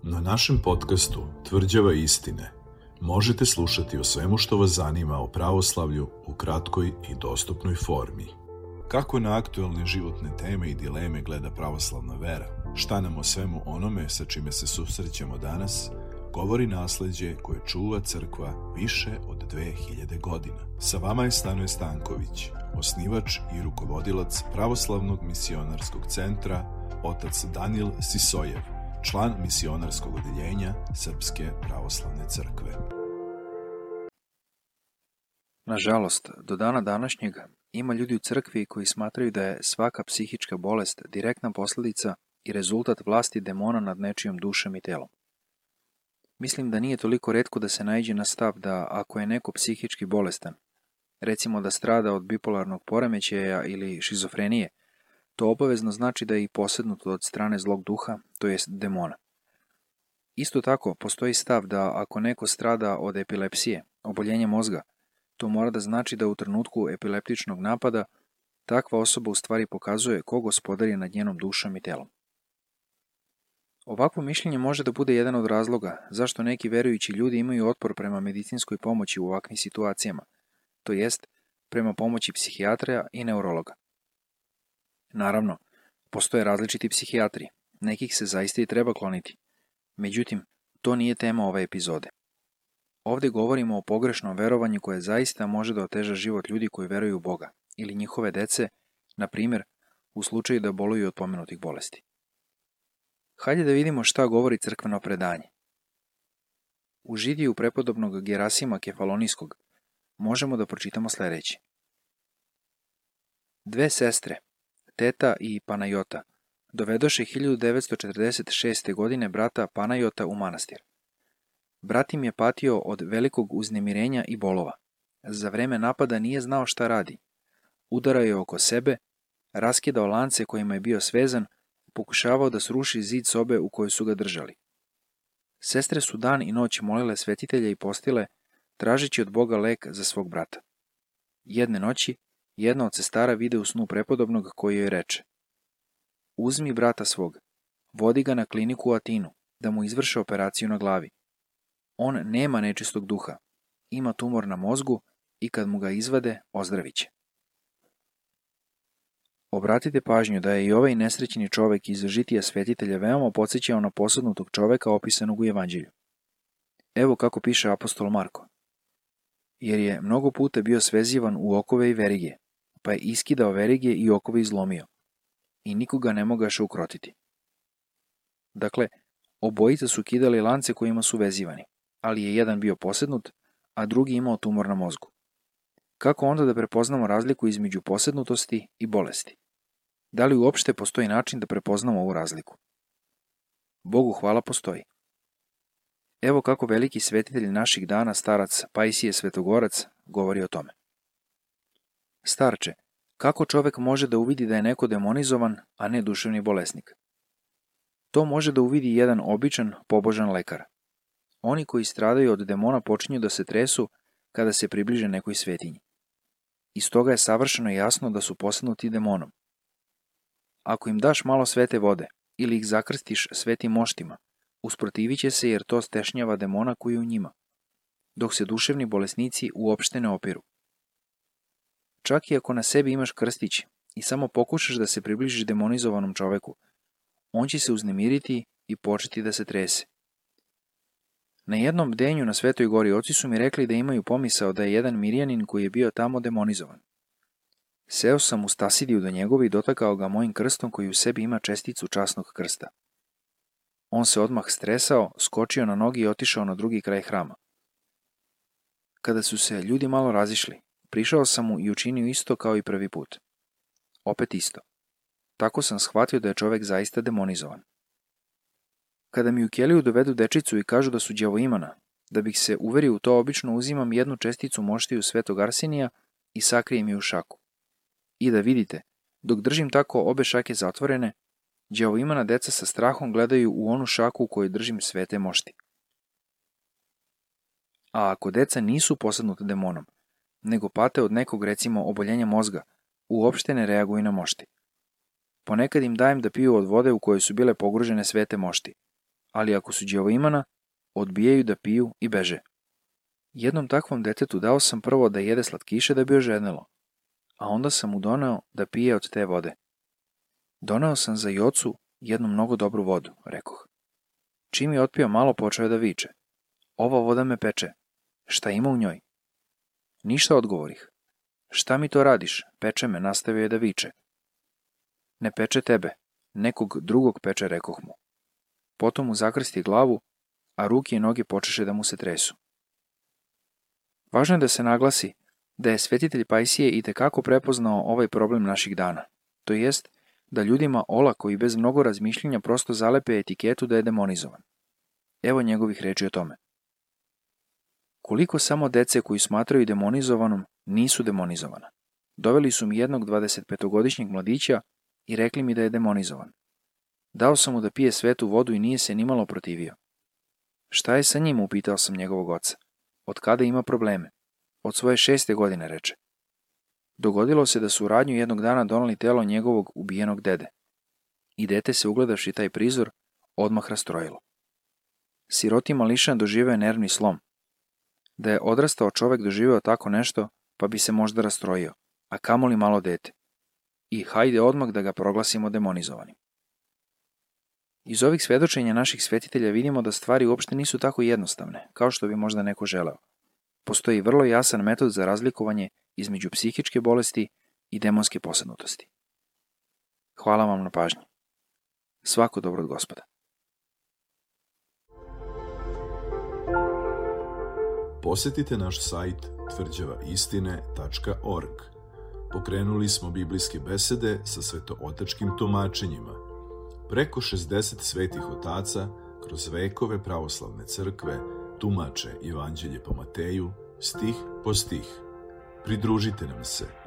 Na našem podcastu Tvrđava istine možete slušati o svemu što vas zanima o pravoslavlju u kratkoj i dostupnoj formi. Kako na aktuelne životne teme i dileme gleda pravoslavna vera? Šta nam o svemu onome sa čime se susrećemo danas govori nasleđe koje čuva crkva više od 2000 godina. Sa vama je Stanoje Stanković, osnivač i rukovodilac Pravoslavnog misionarskog centra, otac Danijel Sisojev, član misionarskog odeljenja Srpske pravoslavne crkve. Nažalost, do dana današnjeg ima ljudi u crkvi koji smatraju da je svaka psihička bolest direktna posljedica i rezultat vlasti demona nad nečijom dušom i telom. Mislim da nije toliko retko da se naiđe na stav da ako je neko psihički bolestan, recimo da strada od bipolarnog poremećaja ili šizofrenije, to obavezno znači da je i posednut od strane zlog duha, to jest demona. Isto tako, postoji stav da ako neko strada od epilepsije, oboljenja mozga, to mora da znači da u trenutku epileptičnog napada takva osoba u stvari pokazuje ko gospodari nad njenom dušom i telom. Ovakvo mišljenje može da bude jedan od razloga zašto neki verujući ljudi imaju otpor prema medicinskoj pomoći u ovakvim situacijama, to jest prema pomoći psihijatra i neurologa. Naravno, postoje različiti psihijatri, nekih se zaista i treba kloniti. Međutim, to nije tema ove epizode. Ovdje govorimo o pogrešnom verovanju koje zaista može da oteža život ljudi koji veruju u Boga ili njihove dece, na primjer, u slučaju da boluju od pomenutih bolesti. Hajde da vidimo šta govori crkveno predanje. U židiju prepodobnog Gerasima Kefalonijskog možemo da pročitamo sljedeće. Dve sestre, Teta i Panajota, dovedoše 1946. godine brata Panajota u manastir. Brat im je patio od velikog uznemirenja i bolova. Za vreme napada nije znao šta radi. Udarao je oko sebe, raskidao lance kojima je bio svezan, pokušavao da sruši zid sobe u kojoj su ga držali. Sestre su dan i noć molile svetitelja i postile, tražeći od Boga lek za svog brata. Jedne noći, jedna od sestara vide u snu prepodobnog koji joj reče: uzmi brata svog, vodi ga na kliniku u Atinu, da mu izvrše operaciju na glavi. On nema nečistog duha, ima tumor na mozgu i kad mu ga izvade, ozdravit će. Obratite pažnju da je i ovaj nesrećni čovek iz žitija svetitelja veoma podsjećao na posadnutog čoveka opisanog u Evanđelju. Evo kako piše apostol Marko. Jer je mnogo puta bio svezivan u okove i verige, pa je iskidao verige i okove izlomio. I nikoga ne mogaše ukrotiti. Dakle, obojica su kidali lance kojima su vezivani, ali je jedan bio posednut, a drugi imao tumor na mozgu. Kako onda da prepoznamo razliku između posednutosti i bolesti? Da li uopšte postoji način da prepoznamo ovu razliku? Bogu hvala, postoji. Evo kako veliki svetitelj naših dana, starac Pajsije Svetogorac, govori o tome. Starče, kako čovek može da uvidi da je neko demonizovan, a ne duševni bolesnik? To može da uvidi jedan običan, pobožan lekar. Oni koji stradaju od demona počinju da se tresu kada se približe nekoj svetinji. Iz toga je savršeno jasno da su posednuti demonom. Ako im daš malo svete vode ili ih zakrstiš svetim moštima, usprotivit će se jer to stešnjava demona koji je u njima, dok se duševni bolesnici uopšte ne opiru. Čak i ako na sebi imaš krstić i samo pokušaš da se približiš demonizovanom čoveku, on će se uznemiriti i početi da se trese. Na jednom bdenju na Svetoj gori oci su mi rekli da imaju pomisao da je jedan Mirjanin koji je bio tamo demonizovan. Seo sam u Stasidiju do njegove i dotakao ga mojim krstom koji u sebi ima česticu časnog krsta. On se odmah stresao, skočio na nogi i otišao na drugi kraj hrama. Kada su se ljudi malo razišli, prišao sam mu i učinio isto kao i prvi put. Opet isto. Tako sam shvatio da je čovek zaista demonizovan. Kada mi u keliju dovedu dečicu i kažu da su đavoimana, da bih se uverio u to, obično uzimam jednu česticu moštiju Svetog Arsenija i sakrijem je u šaku. I da vidite, dok držim tako obe šake zatvorene, đavoimana deca sa strahom gledaju u onu šaku u kojoj držim svete mošti. A ako deca nisu posadnuta demonom, nego pate od nekog, recimo, oboljenja mozga, uopšte ne reaguju na mošti. Ponekad im dajem da piju od vode u kojoj su bile pogružene svete mošti. ali ako su đavoimana, odbijaju da piju i beže. Jednom takvom detetu dao sam prvo da jede slatkiše da bi ožednelo, a onda sam mu doneo da pije od te vode. Doneo sam za Jocu jednu mnogo dobru vodu, rekoh. Čim je otpio malo, počeo je da viče. Ova voda me peče. Šta ima u njoj? Ništa, odgovorih. Šta mi to radiš? Peče me, nastavio je da viče. Ne peče tebe, nekog drugog peče, rekoh mu. Potom mu zakrsti glavu, a ruke i noge počeše da mu se tresu. Važno je da se naglasi da je svetitelj Pajsije itekako prepoznao ovaj problem naših dana, to jest da ljudima olako i bez mnogo razmišljenja prosto zalepe etiketu da je demonizovan. Evo njegovih reči o tome. Koliko samo dece koji smatraju demonizovanom nisu demonizovana. Doveli su mi jednog 25-godišnjeg mladića i rekli mi da je demonizovan. Dao sam mu da pije svetu vodu i nije se nimalo protivio. Šta je sa njim, upitao sam njegovog oca. Od kada ima probleme? Od svoje 6. godine, reče. Dogodilo se da su u radnju jednog dana doneli telo njegovog ubijenog dede. I dete se, ugledavši taj prizor, odmah rastrojilo. Siroti mališan doživeo nervni slom. Da je odrastao čovek doživeo tako nešto, pa bi se možda rastrojio, a kamoli malo dete. I hajde odmah da ga proglasimo demonizovanim. Iz ovih svedočenja naših svetitelja vidimo da stvari uopšte nisu tako jednostavne, kao što bi možda neko želeo. Postoji vrlo jasan metod za razlikovanje između psihičke bolesti i demonske posadnutosti. Hvala vam na pažnji. Svako dobro od Gospoda. Posetite naš sajt tvrđavaistine.org. Pokrenuli smo biblijske besede sa svetootačkim tumačenjima. Preko 60 svetih otaca kroz vekove pravoslavne crkve tumače Evanđelje po Mateju, stih po stih. Pridružite nam se.